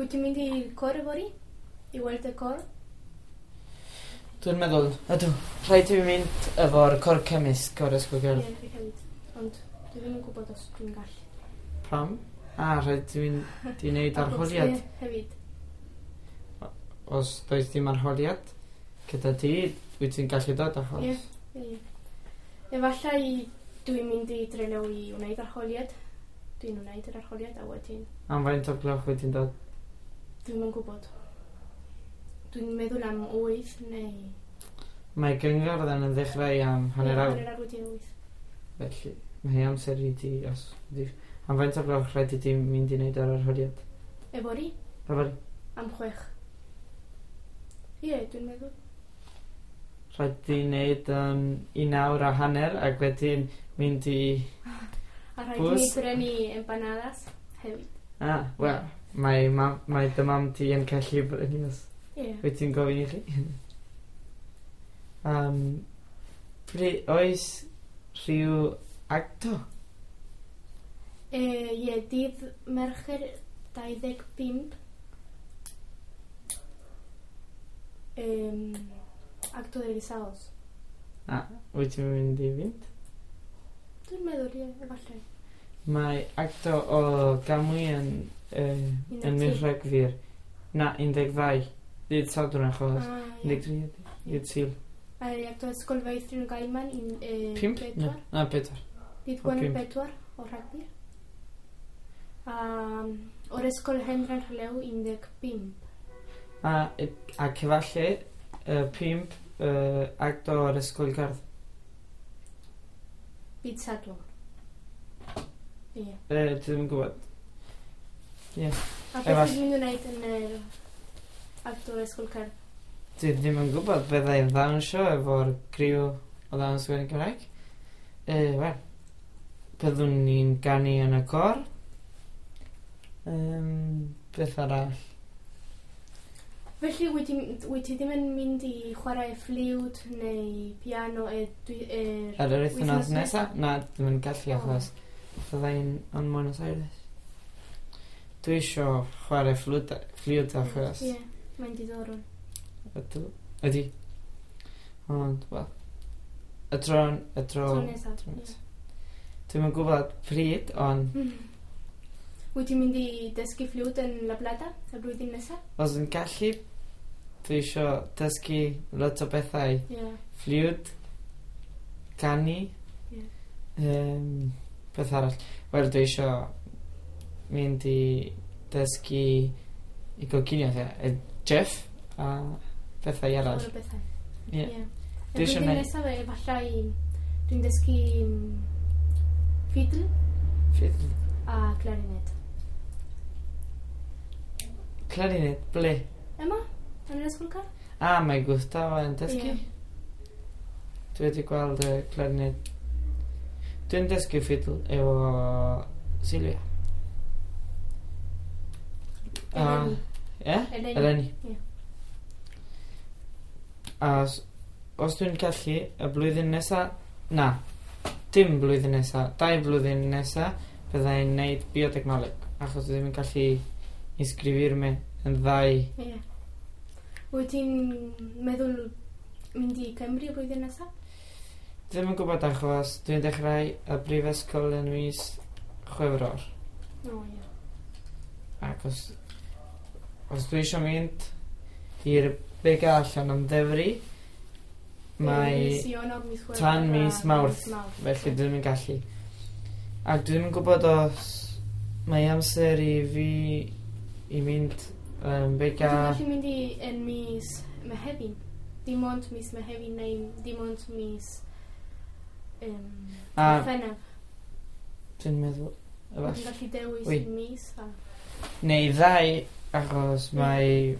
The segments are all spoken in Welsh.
Wyt ti'n mynd i'r cor yfory? I weld y cor? Dwi'n meddwl, ydw, rhaid i fi mynd efo'r cor cemysg o'r ysgol Ie, gerdd. fi hefyd. Ond dwi ddim yn gwybod os dwi'n gallu. Pam? A, rhaid i fynd i wneud arholiad. Ie, hefyd. Os does dim arholiad gyda ti, wyt ti'n gallu dod achos. Ie. Ie. Efallai dwi'n mynd i Trelew i wneud arholiad. Dwi'n wneud yr arholiad a wedyn Am faint o gloch wyt ti'n dod? dwi'm yn gwybod. Dwi'n meddwl am 8 neu... Mae gyngerdd yn ddechrau am hanner Ie, awr, Hanner awr wedi 8. felly mae amser i ti os... Am faint o gloch rhaid i ti mynd i wneud yr arholiad? Yfory? Yfory? Am 6. Ie, dwi'n meddwl. Rhaid ti wneud 1 awr a hanner ac wedyn mynd i... A rhaid i Bws. mi brynu empanadas hefyd. Ah, wel, mae, mae dy mam ti yn gallu brynu os Ie. wyt ti'n gofyn i chi. Oes rhyw acto? Ie, dydd Mercher 25. Acto de egresados. Ah, wyt ti'n mynd i fynd? Dwi'n meddwl, ie, efallai. Mae acto o Gamwy yn, yn mis 13. Rhagfyr. Na, 12. Dydd Sadwrn achos. Ah, ie. 13 ydi. Dydd Sul. A acto Ysgol Feithrin Gaiman un, 5? pedwar. Na, 4. Dydd O, Gwener pump. 4 o Rhagfyr. A o'r Ysgol Hendran Rhelew 15. A, ac efallai 5 acto o'r Ysgol Gerdd. Dydd Sadwrn. Ie. Dwi ddim yn gwybod. A beth Efall- ti'n mynd i wneud yn yr acto o'r Ysgol Cerdd? Dwi ddim yn gwybod bydda i'n ddawnsio efo'r criw o ddawns gwerin Cymraeg. Wel, byddwn ni'n ganu yn y cor. Beth arall? Felly, wyt ti, wyt ti ddim yn mynd i chwarae ffliwt neu piano Ar yr wythnos Wythnos nesa? Na, ddim yn gallu O. achos bydda i'n yn Buenos Aires. Dwi isio chwarae ffliwt achos Ie, mae'n diddorol. ydw, ydi. Ond, wel, y tro, y tro, Tro nesa. tro ie. nesa. Dwi'm yn gwybod pryd, ond Wyt ti'n mynd i dysgu ffliwt yn La Plata y blwyddyn nesaf? os yn gallu, dwi isio dysgu lot o bethau. Ie. Ffliwt, canu, Ie. beth arall. Wel, dwi isio mynd i dysgu i goginio, ie, chef a bethau arall. Llawer o bethau. Ie. Ie. Y Dwi isio blwyddyn neu- nesaf efallai dwi'n dysgu fiddle Fiddle. a clarinet. Clarinet, ble? Yma? Yn yr ysgol car? Ah, mae Gustavo yn dysgu. Ie. Dwi wedi gweld y clarinet. Dwi'n dysgu fiddle efo Silvia. A- Eleni. Ie? Eleni. Eleni. Ie. A os dwi'n gallu, y blwyddyn nesa, na, dim blwyddyn nesa, 2 blwyddyn nesa, bydda i'n neud biotechnoleg, achos dwi ddim yn gallu inscribirme yn ddau. Ie. Wyt ti'n meddwl mynd i Cymru y blwyddyn nesaf? Ddim yn gwybod achos dwi'n dechrau y brifysgol yn mis Chwefror. O, ie. Ac os dwi eisiau mynd i'r Bega allan am ddefri, mae Mis Ionawr, mis Chwefror tan a mis Mawrth. Felly dwi ddim yn gallu. Ac dwi ddim yn gwybod os mae amser i fi i mynd Bega. Dwi'n gallu mynd i yn mis Mehefin. Dim ond mis Mehefin neu dim ond mis Gorffennaf. Dwi'n meddwl, Dwi'n efallai. gallu dewis Wy. mis a... Neu ddau, achos mae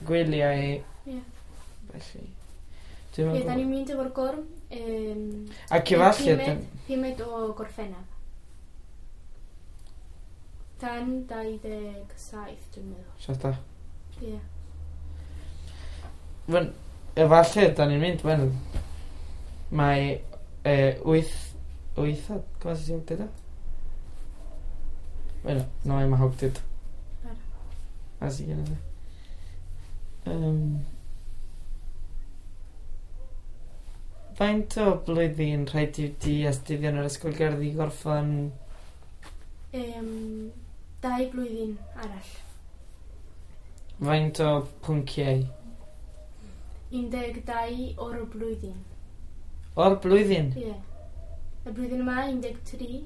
gwyliau. Ie. Felly. Dwi'm yn Ie, da gwbod. ni'n mynd efo'r gorm. Ac efallai, Pumed o Gorffennaf. Tan 27, dwi'n meddwl. Siarad da. Ie. Wen, efallai, da ni'n mynd, wen, mae 8, 8, ¿cómo se dice octeto? Bueno, no hay más octeto. Claro. Así que no sé. Faint o blwyddyn rhaid i ti astudio yn yr ysgol gerdd i gorffen? 2 blwyddyn arall. Faint o pwnciau? 12 o'r blwyddyn. O'r blwyddyn? Ie. Yeah. Y blwyddyn yma 13,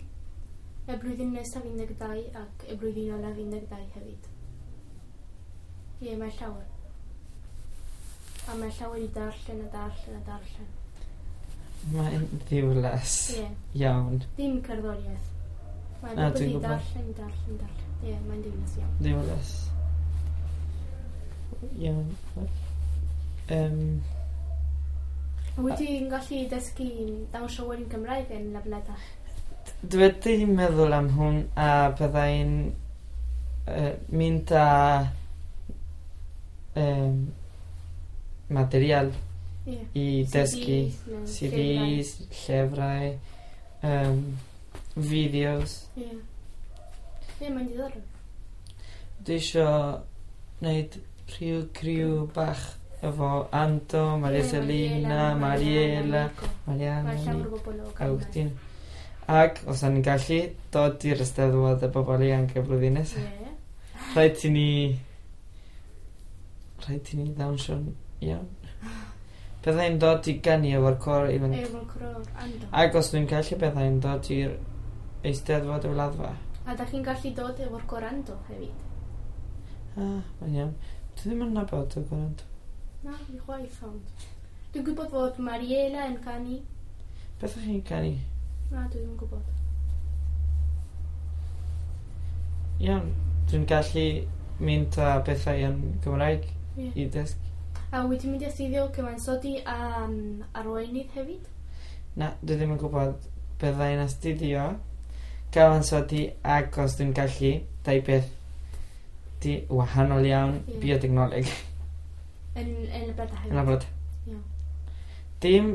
y blwyddyn nesaf 12 ac y blwyddyn olaf 12 hefyd. Ie, yeah, mae llawer. A mae llawer i darllen a darllen a darllen. Mae'n ddiwlas. Ie. Yeah. Iawn. Dim cerddoriaeth. Mae'n rhywbeth i darllen, darllen, darllen. Ie, yeah, mae'n ddiwlas iawn. Ddiwlas. Iawn. Wyt ti'n gallu dysgu dawnsio werin Cymraeg yn La Plata? Dwi wedi meddwl am hwn a byddai'n mynd â material i dysgu CDs, llyfrau, fideos. Ie. Ie, mae'n diddorol. Dwi isio wneud rhyw criw bach efo Anto, Maria Selina, Mariela, Mariana, Agustin. Ac os o'n i'n gallu dod i'r Eisteddfod y bobl ifanc y blwyddyn nesaf. Rhaid i ni ddawnsio'n iawn. Byddai'n dod i ganu efo'r cor ifanc. Efo'r cor Anto. Ac os dwi'n gallu byddai'n dod i'r Eisteddfod y Wladfa. A da chi'n gallu dod efo'r cor Anto hefyd? Ah, mae'n iawn. Dwi ddim yn nabod y cor Anto. Na, fi chwaith ond. Dwi'n gwybod fod Mariela yn canu. Beth ydych chi'n canu? Na, dwi ddim yn gwybod. Iawn, dwi'n gallu mynd â bethau yn Gymraeg i dysgu. A wyt ti'n mynd i astudio cyfansoddi a arweinydd hefyd? Na, dwi ddim yn gwybod byddai'n astudio cyfansoddi ac os dwi'n gallu, dau beth di wahanol iawn, biotechnoleg. Yn La Plata hefyd? Yn La Plata. Dim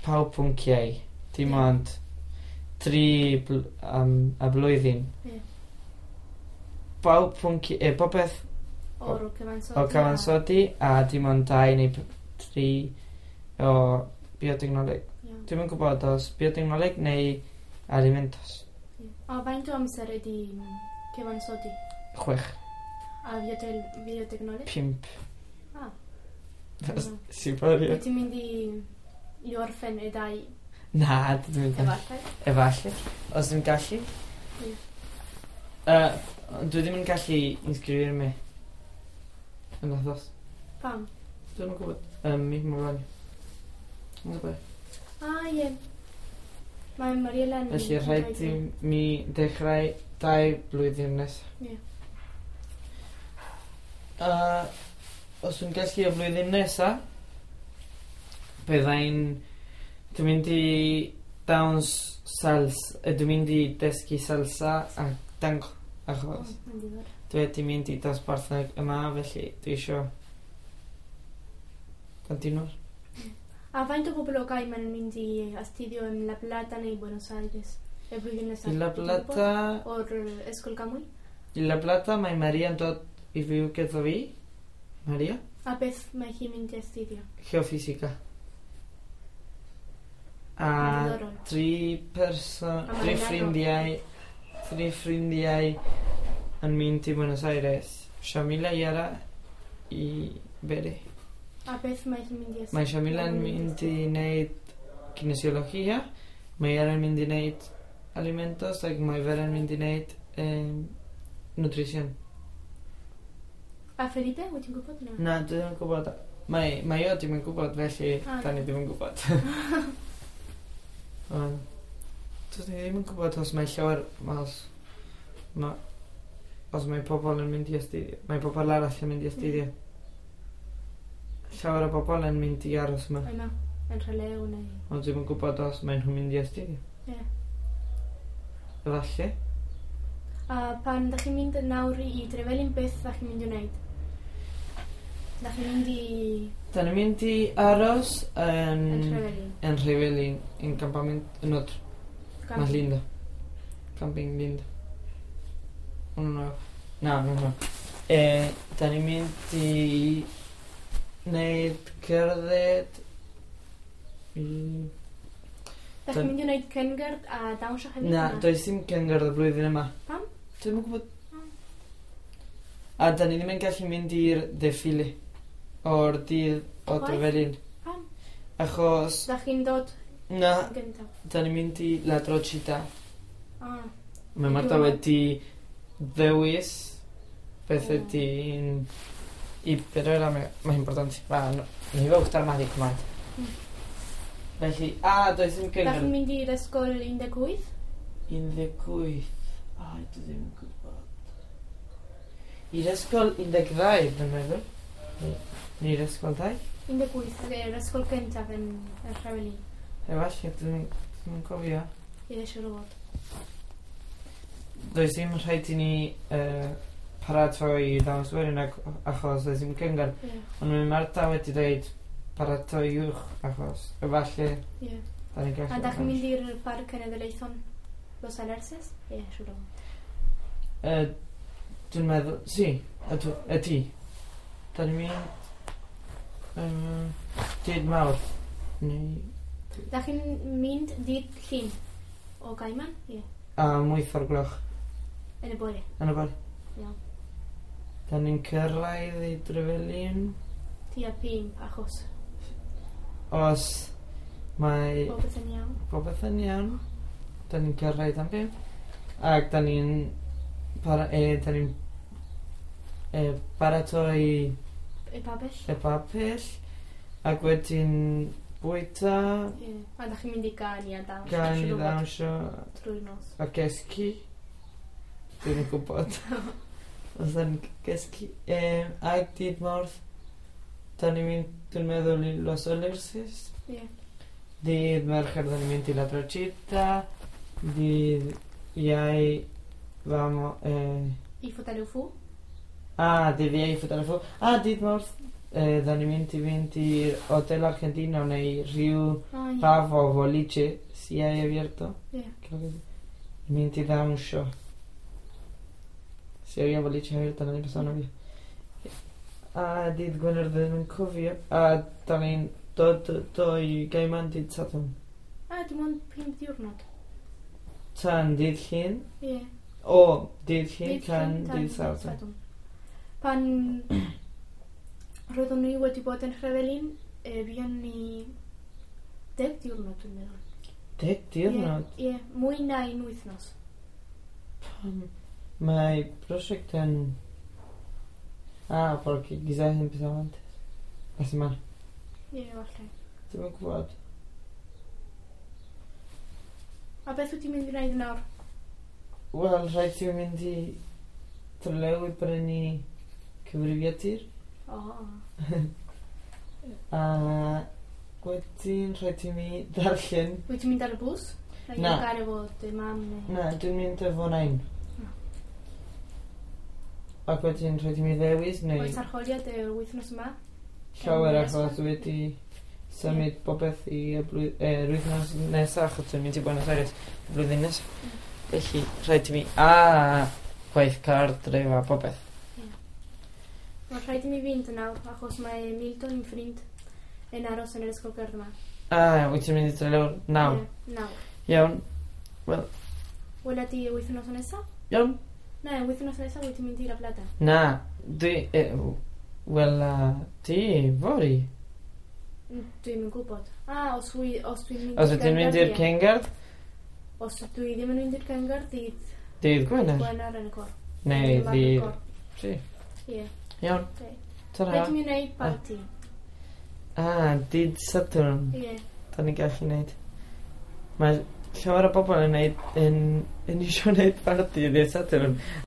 pawb pwnciau, dim ond 3 a blwyddyn. Pawb pwnciau, popeth o'r cyfansoddi. O cyfansoddi a dim ond 2 neu 3 o biotechnoleg. Dwi'm yn gwybod os biotechnoleg neu alimentos. A faint o amser ydi cyfansoddi? 6. A biotechnoleg? 5. Ah. Sibaria. Wyt ti'n mynd i orffen y 2? Na, dwi ddim yn gallu. Efallai? Efallai. Os dwi'n gallu. Dwi ddim yn gallu inscribio mi. Yn athos. Pam? Dwi'm yn gwybod. Mi mae'n Yn gwybod. Ah, ie. Mae Mariela yn... Felly rhaid i mi dechrau 2 blwyddyn nesaf. Ie. Os dwi'n gallu y flwyddyn nesaf, byddai'n... Dwi'n mynd i dawns salsa... Dwi'n mynd i dysgu salsa a tango, achos dwi wedi mynd i dosbarth yma, felly dwi isio continuar. A faint o bobl o Gaiman yn mynd i astudio yn La Plata neu Buenos Aires y blwyddyn nesaf? I La Plata... O'r Ysgol Camwy? I La Plata mae Maria yn dod i fyw gyda fi. Maria. A beth mae hi'n mynd i astudio? Geofísica. A 3 person, 3 ffrindiau yn mynd i Buenos Aires. Shamila, Yara i Bere. A beth mae hi'n mynd i astudio? Mae Shamila yn mynd i wneud kinesiologia, mae Yara yn mynd i wneud alimentos ac mae Vera yn mynd i wneud nutrición. A Felipe, wyt ti'n gwybod na? Na, dwi ddim yn gwybod. Mae o ddim yn gwybod, felly da ni ddim yn gwybod. Dwi ddim yn gwybod os mae llawer, os mae pobl yn mynd i astudio. Mae pobl arall yn mynd i astudio. Llawer o bobl yn mynd i aros yma. Yma, yn Rhelew neu... Ond dwi'm yn gwybod os mae nhw'n mynd i astudio. Ie. Efallai. A pan dach chi'n mynd nawr i Trevelin, beth dach chi'n mynd i wneud? Dach chi'n mynd i... Da ni'n mynd i aros yn... Yn Trevelin. Yn Trevelin, yn campament, yn otro. Más lindo. Camping lindo. Uno nuevo. No, no, no. Da ni'n mynd i wneud cerdded i... Da chi'n mynd i wneud cyngerdd a dawnsio hefyd? Na, does dim cyngerdd y blwyddyn yma. Pam? Dwi'm yn gwybod. A da ni ddim yn gallu mynd i'r defile o'r dydd o Chwaith? Trefelin. Pam? Achos, Da chi'n dod na, yn gyntaf? da ni'n mynd i La Trochita. Ah, Mae Marta Diwrnod. wedi ddewis beth O. ydy'n... I, pero era más importante. Va, no, me iba a gustar más disco antes. Felly, a, does dim Da chi'n cyngerdd. mynd i'r ysgol 18? 18. Ai, dwi ddim yn gwybod. I'r ysgol 12, dwi'n meddwl. Neu i'r ysgol 2? 18, yr ysgol gyntaf yn y Trefelin. Efallai, dwi'n ddim yn cofio. Ie, siŵr o fod. Does dim rhaid i ni paratoi i ddawns werin achos does dim cyngerdd. Ie, Ond mae Marta wedi dweud paratoi-wch achos efallai ie. da ni'n gallu... A da chi'n mynd i'r Parc Cenedlaethol Los Alerces? Ie, siŵr o fod. Dwi'n meddwl, si, ydw, ydy. Da ni'n mynd... Dydd Mawrth. Neu... Da chi'n mynd dydd Llun o Gaiman? Ie, Am 8 o'r gloch yn y bore. yn y bore. Iawn. Da ni'n cyrraedd i Drefelin. Tua 5 achos. Os mae Popeth yn iawn. popeth yn iawn, da ni'n cyrraedd am 5. Ac da ni'n da ni'n paratoi Y pabell? y papell ac wedyn bwyta, Ie. A da chi'n mynd i ganu a dawnsio? gan i siŵr o fod, ddawnsio Trwy'r nos. a cysgu. Dwi'n yn gwybod. Os da ni'n cysgu. Ac dydd Mawrth, da ni'n mynd, dwi'n meddwl, i Los Alerces. Ie. Dydd Mercher, da ni'n mynd i La Trochita. Dydd Iau, vamo... I Futaleufú? Dydd Iau, Futaleufú. A, dydd Mawrth, da ni'n mynd i fynd i'r Hotel Argentino neu rhyw Ah, ie. pub o boliche, si hay abierto. Ie. Creo que sí. Mynd i ddawnsio. Si había boliche abierto el año pasado no había. A dydd Gwener ddim yn cofio. A da ni'n dod do i Gaiman dydd Sadwrn. A, dim ond 5 diwrnod. Tan dydd Llun. Ie. O, dydd Llun Dydd tan Llun dydd Sadwrn. Pan roeddwn ni wedi bod yn Nhrevelin, buon ni 10 diwrnod, dwi'n meddwl. 10 diwrnod? Ie, ie, mwy na un wythnos. Pam mae prosiect yn... Ah, porque quizás empezaba antes. La semana. Ie, falle. Dwi'm yn gwybod. A beth wyt ti'n mynd i wneud nawr? Wel, rhaid ti mynd i Trelew i brynu cyfrifiadur. O, A wedyn rhaid i mi ddarllen. Wyt ti'n mynd ar y bws? Neu Na. gael efo dy mam neu... Na, dwi'n mynd efo nain. Ah. Ac wedyn rhaid i mi ddewis neu Oes arholiad yr wythnos yma? llawer Yn yr achos ysgol? wedi symud popeth i y yr wythnos nesaf achos dwi'n mynd i Buenos Aires y blwyddyn nesaf. Felly rhaid i mi a gwaith cartref a popeth. Mae'n rhaid i mi fynd yn nawr achos mae Milton yn ffrind yn aros yn yr ysgol gerdd yma. A, wyt ti'n mynd i Trelew nawr? Ie, nawr. Iawn. Wela di y wythnos nesaf? Iawn. Na, y wythnos nesaf wyt ti'n mynd i La Plata. Na, dwi... Wel, ti, fory. Dwi'm yn gwybod. A, os, os dwi'n mynd Os wyt ti'n mynd i'r ie. cyngerdd, Os dwi ddim yn mynd i'r cyngerdd, dydd dydd Gwener. Gwener yn y cor. Neu Dwi'n marw ddydd... cor. Si. Ie. Iawn. Ie. Ta-ra. Rhaid i mi wneud parti. A, dydd Sadwrn. Ie. Da ni'n gallu neud. Mae llawer o bobl yn neud, yn eisiau neud parti dydd Sadwrn.